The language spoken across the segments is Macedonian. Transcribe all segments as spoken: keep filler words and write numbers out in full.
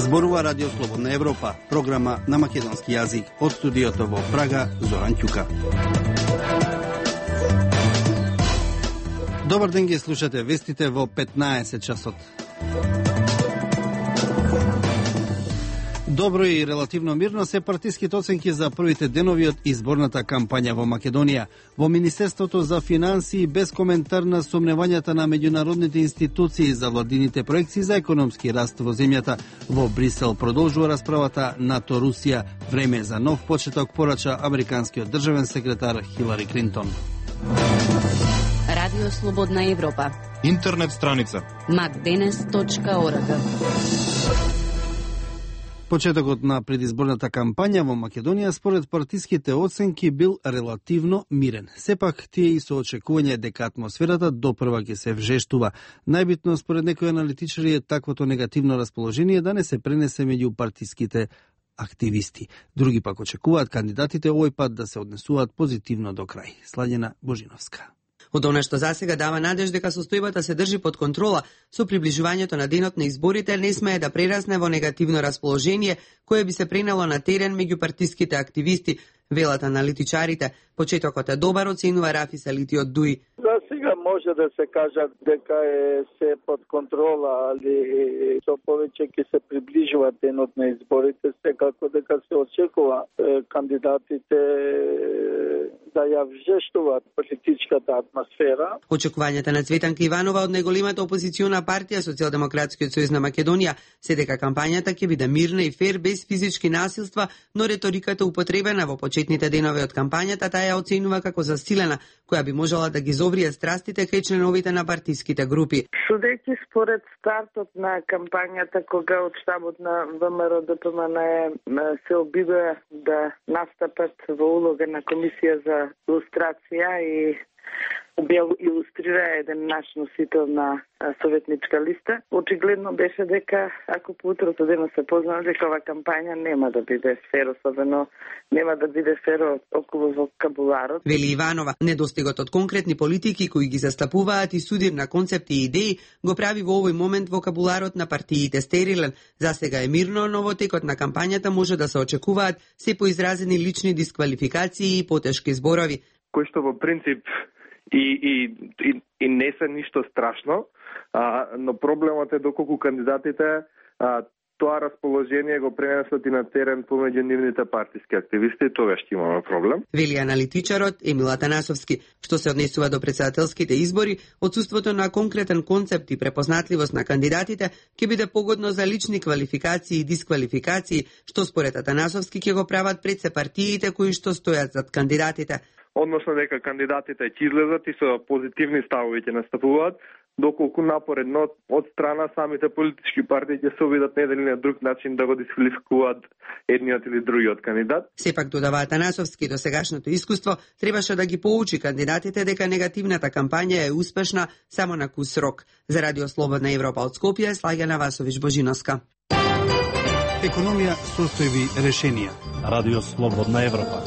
Зборува Радио Слободна Европа, програма на македонски јазик. Од студиото во Прага, Зоран Ќука. Добар ден, ги слушате вестите во петнаесет часот. Добро и релативно мирно се партиските оценки за првите денови од изборната кампања во Македонија. Во Министерството за финансии без коментар на сомневањата на меѓународните институции за владините проекции за економски раст во земјата. Во Брисел продолжува расправата НАТО-Русија. Време за нов почеток, порача американскиот државен секретар Хилари Клинтон. Радио Слободна Европа. Интернет страница макденес точка орг. Почетокот на предизборната кампања во Македонија според партиските оценки бил релативно мирен. Сепак тие и со очекување дека атмосферата допрва ќе се вжештува. Најбитно според некои аналитичари е таквото негативно расположение да не се пренесе меѓу партиските активисти. Други пак очекуваат кандидатите овој пат да се однесуваат позитивно до крај. Слаѓана Божиновска. Од она што засега дава надеж дека состојбата се држи под контрола, со приближувањето на денот на изборите не смее да прерасне во негативно расположение кое би се пренело на терен меѓу партиските активисти, велат аналитичарите. Почетокот е добар, оценува Рафи Салити од ДУИ. За сега може да се каже дека е се под контрола, али со повеќе ќе се приближува денот на изборите, секако дека се очекува кандидатите да ја вжештуваат политичката атмосфера. Очекувањата на Цветанка Иванова од најголемата опозициона партија Социјалдемократскиот сојуз на Македонија се дека кампањата ќе биде мирна и фер без физички насилства, но реториката употребена во почетните денови од кампањата таа ја оценува како засилена, која би можела да ги зоврие страстите кај членовите на партиските групи. Судејќи според стартот на кампањата, кога од штабот на ВМРО Д П М Н се обидува да настапат во улога на комисија за илустрација и илустрира еден наш носител на советничка листа. Очигледно беше дека ако по утрото дено се познава дека ова кампања нема да биде фер, особено нема да биде фер околу вокабуларот. Вели Иванова, недостигот од конкретни политики кои ги застапуваат и судир на концепти и идеи го прави во овој момент вокабуларот на партиите стерилен. Засега е мирно, но во текот на кампањата може да се очекуваат се поизразени лични дисквалификации и потешки зборови. Кои што во принцип И, и, и, и не се ништо страшно, а, но проблемот е доколку кандидатите а, тоа расположение го пренесат и на терен помеѓу нивните партиски активисти, тогаш ќе имаме проблем. Вели аналитичарот Емил Атанасовски. Што се однесува до претседателските избори, отсуството на конкретен концепт и препознатливост на кандидатите ќе биде погодно за лични квалификации и дисквалификации, што според Атанасовски ќе го прават пред се партиите кои што стојат зад кандидатите. Односно дека кандидатите ќе излезат и со позитивни ставови ќе настапуваат, доколку напоредно од страна самите политички партии ќе се обидат на еден или на друг начин да го дисквалификуваат едниот или другиот кандидат. Сепак додава Атанасовски, до сегашното искуство требаше да ги поучи кандидатите дека негативната кампања е успешна само на кус рок. За Радио Слободна Европа од Скопје, Слаѓана Васович Божиновска. Економија, состојби, решенија. Радио Слободна Европа.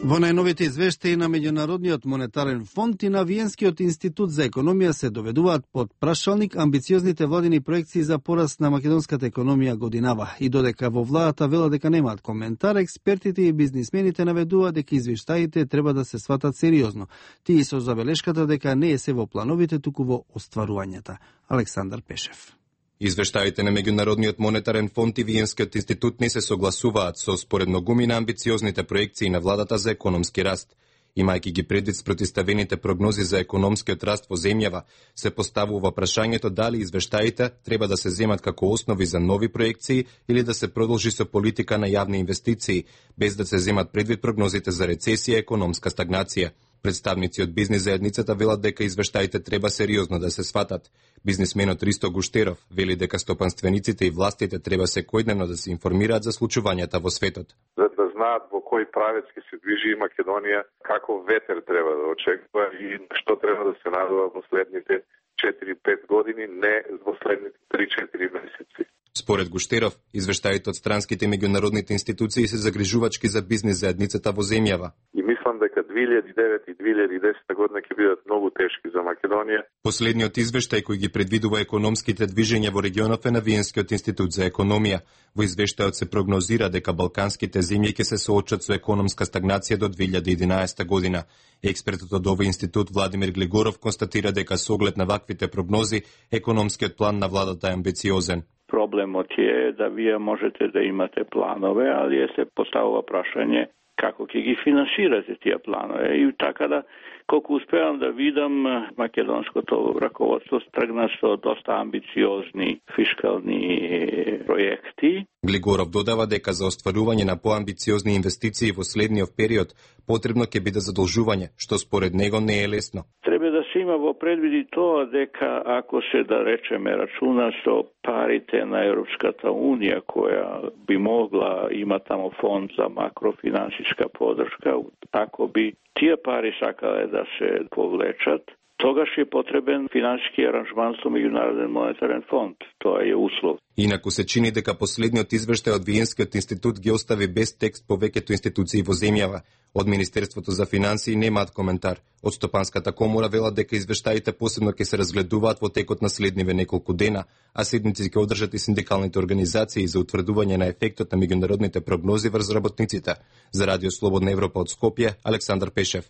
Во најновите извештаи на Меѓународниот монетарен фонд и на Виенскиот институт за економија се доведуваат под прашалник амбициозните владини проекции за пораст на македонската економија годинава. И додека во владата вела дека немаат коментар, експертите и бизнисмените наведуваат дека извештаите треба да се сватат сериозно. Тие со забелешката дека не е се во плановите, туку во остварувањата. Александар Пешев. Извештаите на Меѓународниот монетарен фонд и Виенскиот институт не се согласуваат со споредно гуми на амбициозните проекции на владата за економски раст. Имајќи ги предвид спротиставените прогнози за економскиот раст во земјава, се поставува прашањето дали извештаите треба да се земат како основи за нови проекции или да се продолжи со политика на јавни инвестиции, без да се земат предвид прогнозите за рецесија и економска стагнација. Представници од бизнис заедницата велат дека извештаите треба сериозно да се сватат. Бизнисменот Ристо Гуштеров вели дека стопанствениците и властите треба секојдневно да се информираат за случувањата во светот. За да знаат во кој правец ќе се движи Македонија, каков ветер треба да очекува и што треба да се надува во следните четири-пет години, не во следните три-четири месеци. Според Гуштеров, извештаите од странските меѓународните институции се загрижувачки за бизнис заедницата во земјава. И мислам дека две илјади и девета и две илјади и десета година ќе бидат многу тешки за Македонија. Последниот извештај кој ги предвидува економските движења во регионот е на Виенскиот институт за економија. Во извештајот се прогнозира дека балканските земји ќе се соочат со економска стагнација до две илјади и единаесета година. Експертот од овој институт Владимир Глегоров констатира дека со оглед на ваквите прогнози, економскиот план на владата е амбициозен. Проблемот е да вие можете да имате планове, али е се поставува прашање како ќе ги финансирате тие планове. И така да, колку успевам да видам, македонското раководство тргна со доста амбициозни фискални проекти. Глигоров додава дека за остварување на поамбициозни инвестиции во следниот период потребно ќе биде задолжување, што според него не е лесно. Треба да се има во предвиди тоа дека ако се, да речеме, рачуна со парите на Европската Унија, која би могла има тамо фонд за макрофинансиска подршка, ако би тие пари сакале да се повлечат, тогаш е потребен финансиски аранжман со Меѓународен монетарен фонд. Тоа е услов. Инаку се чини дека последниот извештај од Виенскиот институт ги остави без текст повеќето институции во земјава. Од Министерството за финансии немаат коментар. Од Стопанската комора велат дека извештаите посебно ќе се разгледуваат во текот на следниве неколку дена, а седници ќе одржат и синдикалните организации за утврдување на ефектот на меѓународните прогнози врз работниците. За Радио Слободна Европа од Скопје, Александар Пешев.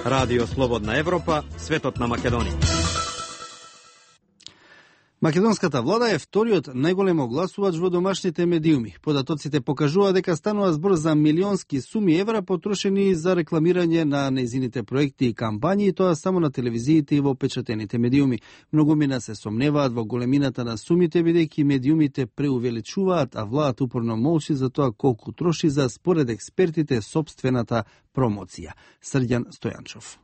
Радио Слободна Европа, светот на Македонија. Македонската влада е вториот најголем огласувач во домашните медиуми. Податоците покажува дека станува збор за милионски суми евра потрошени за рекламирање на нејзините проекти и кампањи, и тоа само на телевизиите и во печатените медиуми. Многумина се сомневаат во големината на сумите, бидејќи медиумите преувеличуваат, а владата упорно молчи за тоа колку троши за, според експертите, собствената промоција. Срđan Стојанчов.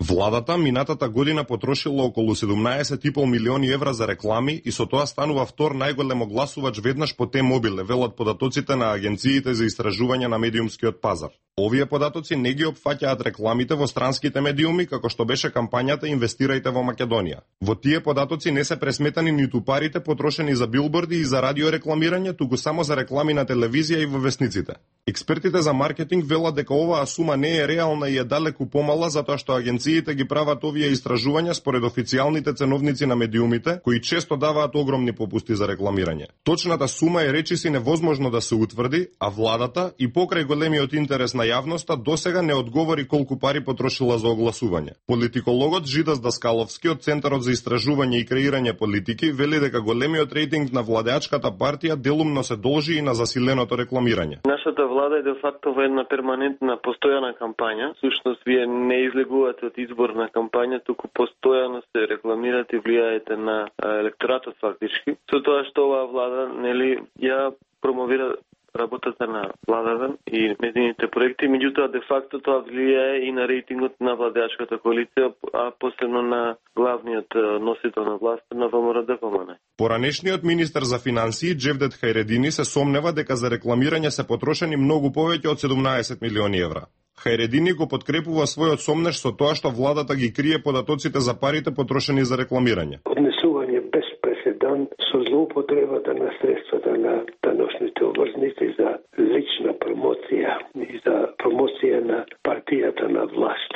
Владата минатата година потрошила околу седумнаесет и пол милиони евра за реклами и со тоа станува втор најголем огласувач веднаш по Т-Мобиле, велат податоците на агенциите за истражување на медиумскиот пазар. Овие податоци не ги опфаќаат рекламите во странските медиуми, како што беше кампањата Инвестирајте во Македонија. Во тие податоци не се пресметани ниту парите потрошени за билборди и за радиорекламирање, туку само за реклами на телевизија и во весниците. Експертите за маркетинг велат дека оваа сума не е реална и е далеку помала, затоа што агенциите ги прават овие истражувања според официјалните ценовници на медиумите, кои често даваат огромни попусти за рекламирање. Точната сума е речиси невозможно да се утврди, а владата и покрај големиот интерес на јавноста досега не одговори колку пари потрошила за огласување. Политикологот Жидас Даскаловски од Центарот за истражување и креирање политики вели дека големиот рейтинг на владеачката партија делумно се должи и на засиленото рекламирање. Нашата влада е де факто во една перманентна постојана кампања. Всушност вие не излегувате од изборна кампања, туку постојано се рекламирате и влијаете на електоратот фактички. Со тоа што оваа влада нели ја промовира работата на владата и медиумите проекти, меѓутоа де факто тоа влијае и на рейтингот на владеачката коалиција, а посебно на главниот носител на власта на ВМРО-ДПМН. Поранешниот министер за финансии Джевдет Хајредини се сомнева дека за рекламирање се потрошени многу повеќе од седумнаесет милиони евра. Хајредини го подкрепува својот сомнеж со тоа што владата ги крие податоците за парите потрошени за рекламирање. Однесување без преседан со злоупотребата на средствата на даношните обврзници за лична промоција и за промоција на партијата на власт.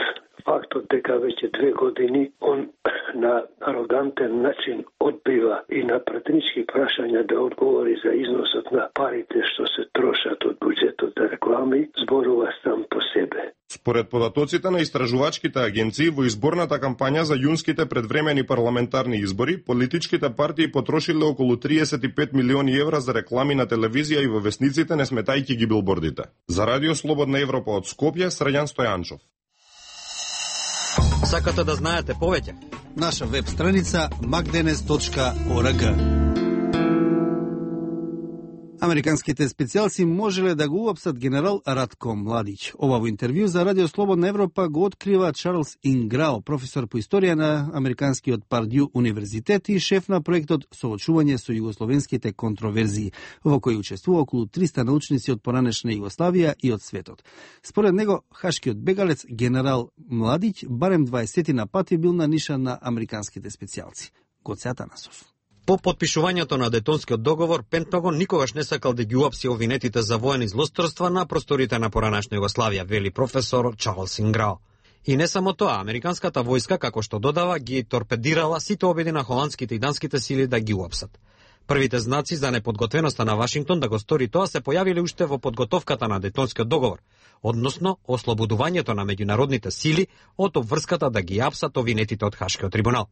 Фактот дека веќе две години он на арогантен начин одбива и на пратенички прашања да одговори за износот на парите што се трошат од буџетот за реклами, зборува сам по себе. Според податоците на истражувачките агенции во изборната кампања за јунските предвремени парламентарни избори, политичките партии потрошиле околу триесет и пет милиони евра за реклами на телевизија и во весниците, не сметајќи ги билбордите. За Радио Слободна Европа од Скопје, Срđan Стојанчов. Сакате да знаете повеќе? Наша веб страница макденес точка орг. Американските специјалци можеле да го уапсат генерал Ратко Младич. Ова во интервју за Радио Слободна Европа го открива Чарлс Инграо, професор по историја на Американскиот Пардју универзитет и шеф на проектот Соочување со југословенските контроверзии, во кој учествува околу триста научници од поранешна Југославија и од светот. Според него, хашкиот бегалец генерал Младич барем дваесет на пати бил на ниша на американските специјалци. Гоце Атанасов. По потпишувањето на Дейтонскиот договор, Пентагон никогаш не сакал да ги уапси обвинетите за воени злосторства на просторите на поранешна Југославија, вели професор Чарлс Инграо. И не само тоа, американската војска, како што додава, ги торпедирала сите обиди на холандските и данските сили да ги уапсат. Првите знаци за неподготвеноста на Вашингтон да го стори тоа се појавиле уште во подготовката на Дейтонскиот договор, односно ослободувањето на меѓународните сили од обврската да ги апсат обвинетите од Хашкиот трибунал.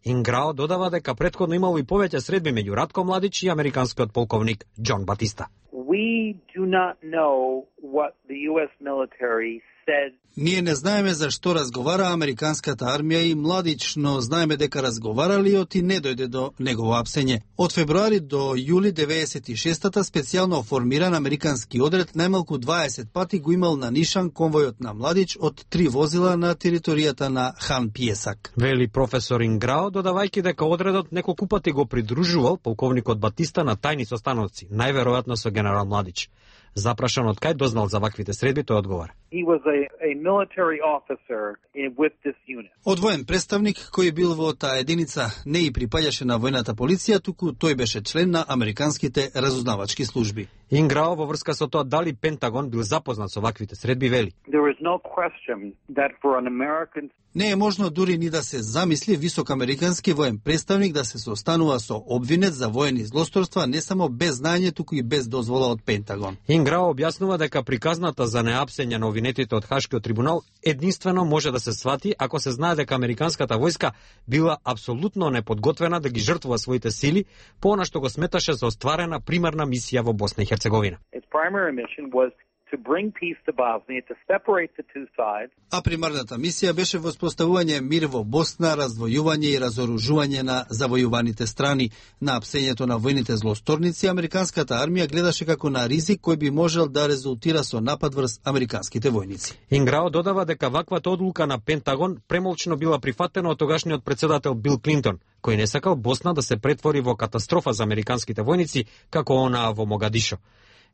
Инграо додава дека претходно имало и повеќе средби меѓу Ратко Младич и американскиот полковник Џон Батиста. We do not know what the U S military said. Ние не знаеме за што разговара американската армија и Младич, но знаеме дека разговаралиот и не дојде до негово апсење. Од февруари до јули деветдесет и шестата специјално формиран американски одред најмалку дваесет пати го имал на нишан конвојот на Младич од три возила на територијата на Хан Пиесак. Вели професор Инграо, додавајќи дека одредот неколку пати го придружувал полковникот Батиста на тајни состаноци, најверојатно со генерал Младич. Запрашан од кај дознал за ваквите средби, тој одговара. He was a, a military officer in, with this unit. Од воен представник кој бил во таа единица не и припаѓаше на војната полиција, туку тој беше член на американските разузнавачки служби. Инграо во врска со тоа дали Пентагон бил запознат со ваквите средби вели. There is no question that for an American... Не е можно дури ни да се замисли висок американски воен представник да се состанува со обвинет за воени злосторства не само без знаење, туку и без дозвола од Пентагон. Инграо објаснува дека приказната за неапсење на обвинетите од Хашкиот трибунал единствено може да се свати ако се знае дека американската војска била апсолутно неподготвена да ги жртвува своите сили по она што го сметаше за остварена примарна мисија во Босна и Херцеговина. Its primary mission was to bring peace to Bosnia, to separate the two sides. А примарната мисија беше воспоставување мир во Босна, раздвојување и разоружување на завојуваните страни. На апсењето на војните злосторници, американската армија гледаше како на ризик кој би можел да резултира со напад врз американските војници. Инграо додава дека ваквата одлука на Пентагон премолчно била прифатена од тогашниот председател Бил Клинтон, кој не сакал Босна да се претвори во катастрофа за американските војници како онаа во Могадишо.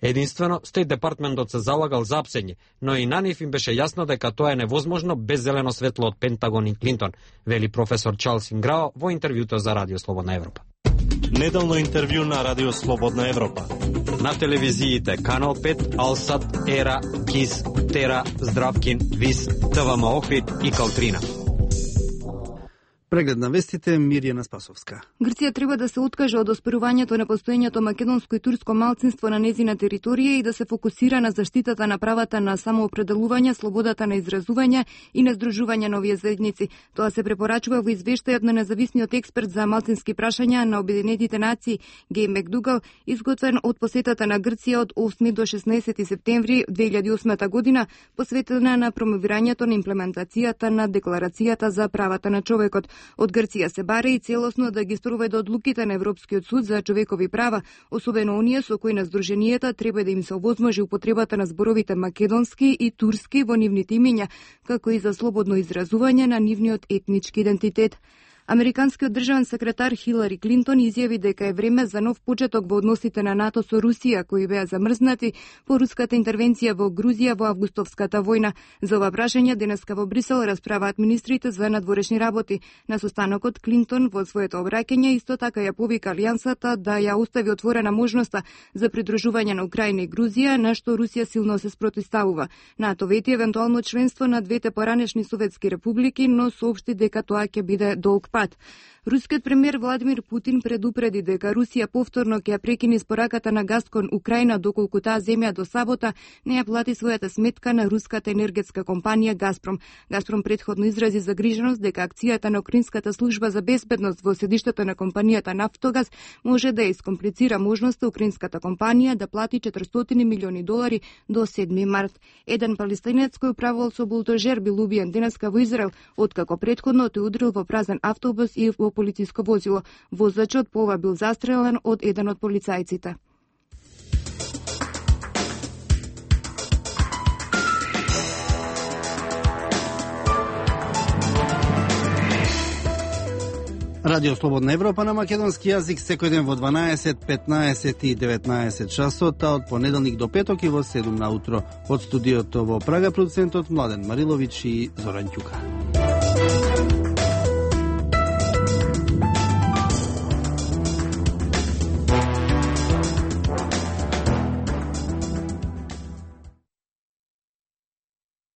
Единствено, Стейт департментот се залагал за апсење, но и на нив им беше јасно дека тоа е невозможно без зелено светло од Пентагон и Клинтон, вели професор Чарлс Инграо во интервјуто за Радио Слободна Европа. Неделно интервју на Радио Слободна Европа. На телевизиите Канал пет, Алсат, Ера, Кис, Тера, Здравкин, Вис, ТВМ Охрид и Калтрина. Преглед на вестите, Мирјана Спасовска. Грција треба да се откаже од оспорувањето на постоењето македонско и турско малцинство на незина територија и да се фокусира на заштитата на правата на самоопределување, слободата на изразување и на здружување на овие заедници. Тоа се препорачува во извештајот на независниот експерт за малцински прашања на Обединетите нации Геј Макдугал, изготвен од посетата на Грција од осми до шеснаесети септември две илјади и осма година, посветена на промовирањето на имплементацијата на Декларацијата за правата на човекот. Од Грција се баре и целосно да ги спроведе одлуките на Европскиот суд за човекови права, особено оние со кои на здруженијата треба да им се овозможи употребата на зборовите македонски и турски во нивните имиња, како и за слободно изразување на нивниот етнички идентитет. Американскиот државен секретар Хилари Клинтон изјави дека е време за нов почеток во односите на НАТО со Русија, кои беа замрзнати по руската интервенција во Грузија во августовската војна. За ова прашање денеска во Брисел расправаат министрите за надворешни работи. На состанокот Клинтон во своето обраќање исто така ја повика алијансата да ја остави отворена можноста за придружување на Украина и Грузија, на што Русија силно се спротивставува. НАТО вети евентуално членство на двете поранешни советски републики, но соопшти дека тоа ќе биде долг пат. Рускиот премиер Владимир Путин предупреди дека Русија повторно ќе ја прекине испораката на газ кон Украина доколку таа земја до сабота не ја плати својата сметка на руската енергетска компанија Газпром. Газпром претходно изрази загриженост дека акцијата на Украинската служба за безбедност во седиштето на компанијата Нафтогаз може да ја искомплицира можноста украинската компанија да плати четиристотини милиони долари до седми март. Еден палестинец кој управувал со булдожер бил убиен денеска во Израел, откако претходно тој удрил во празен автобус и во полициско возило. Возачот по ова бил застрелен од еден од полицајците. Радио Слободна Европа на македонски јазик секој ден во дванаесет, петнаесет и деветнаесет часот, а од понеделник до петок и во седум наутро. Од студиото во Прага продуцентот Младен Марилович и Зоран Ќука.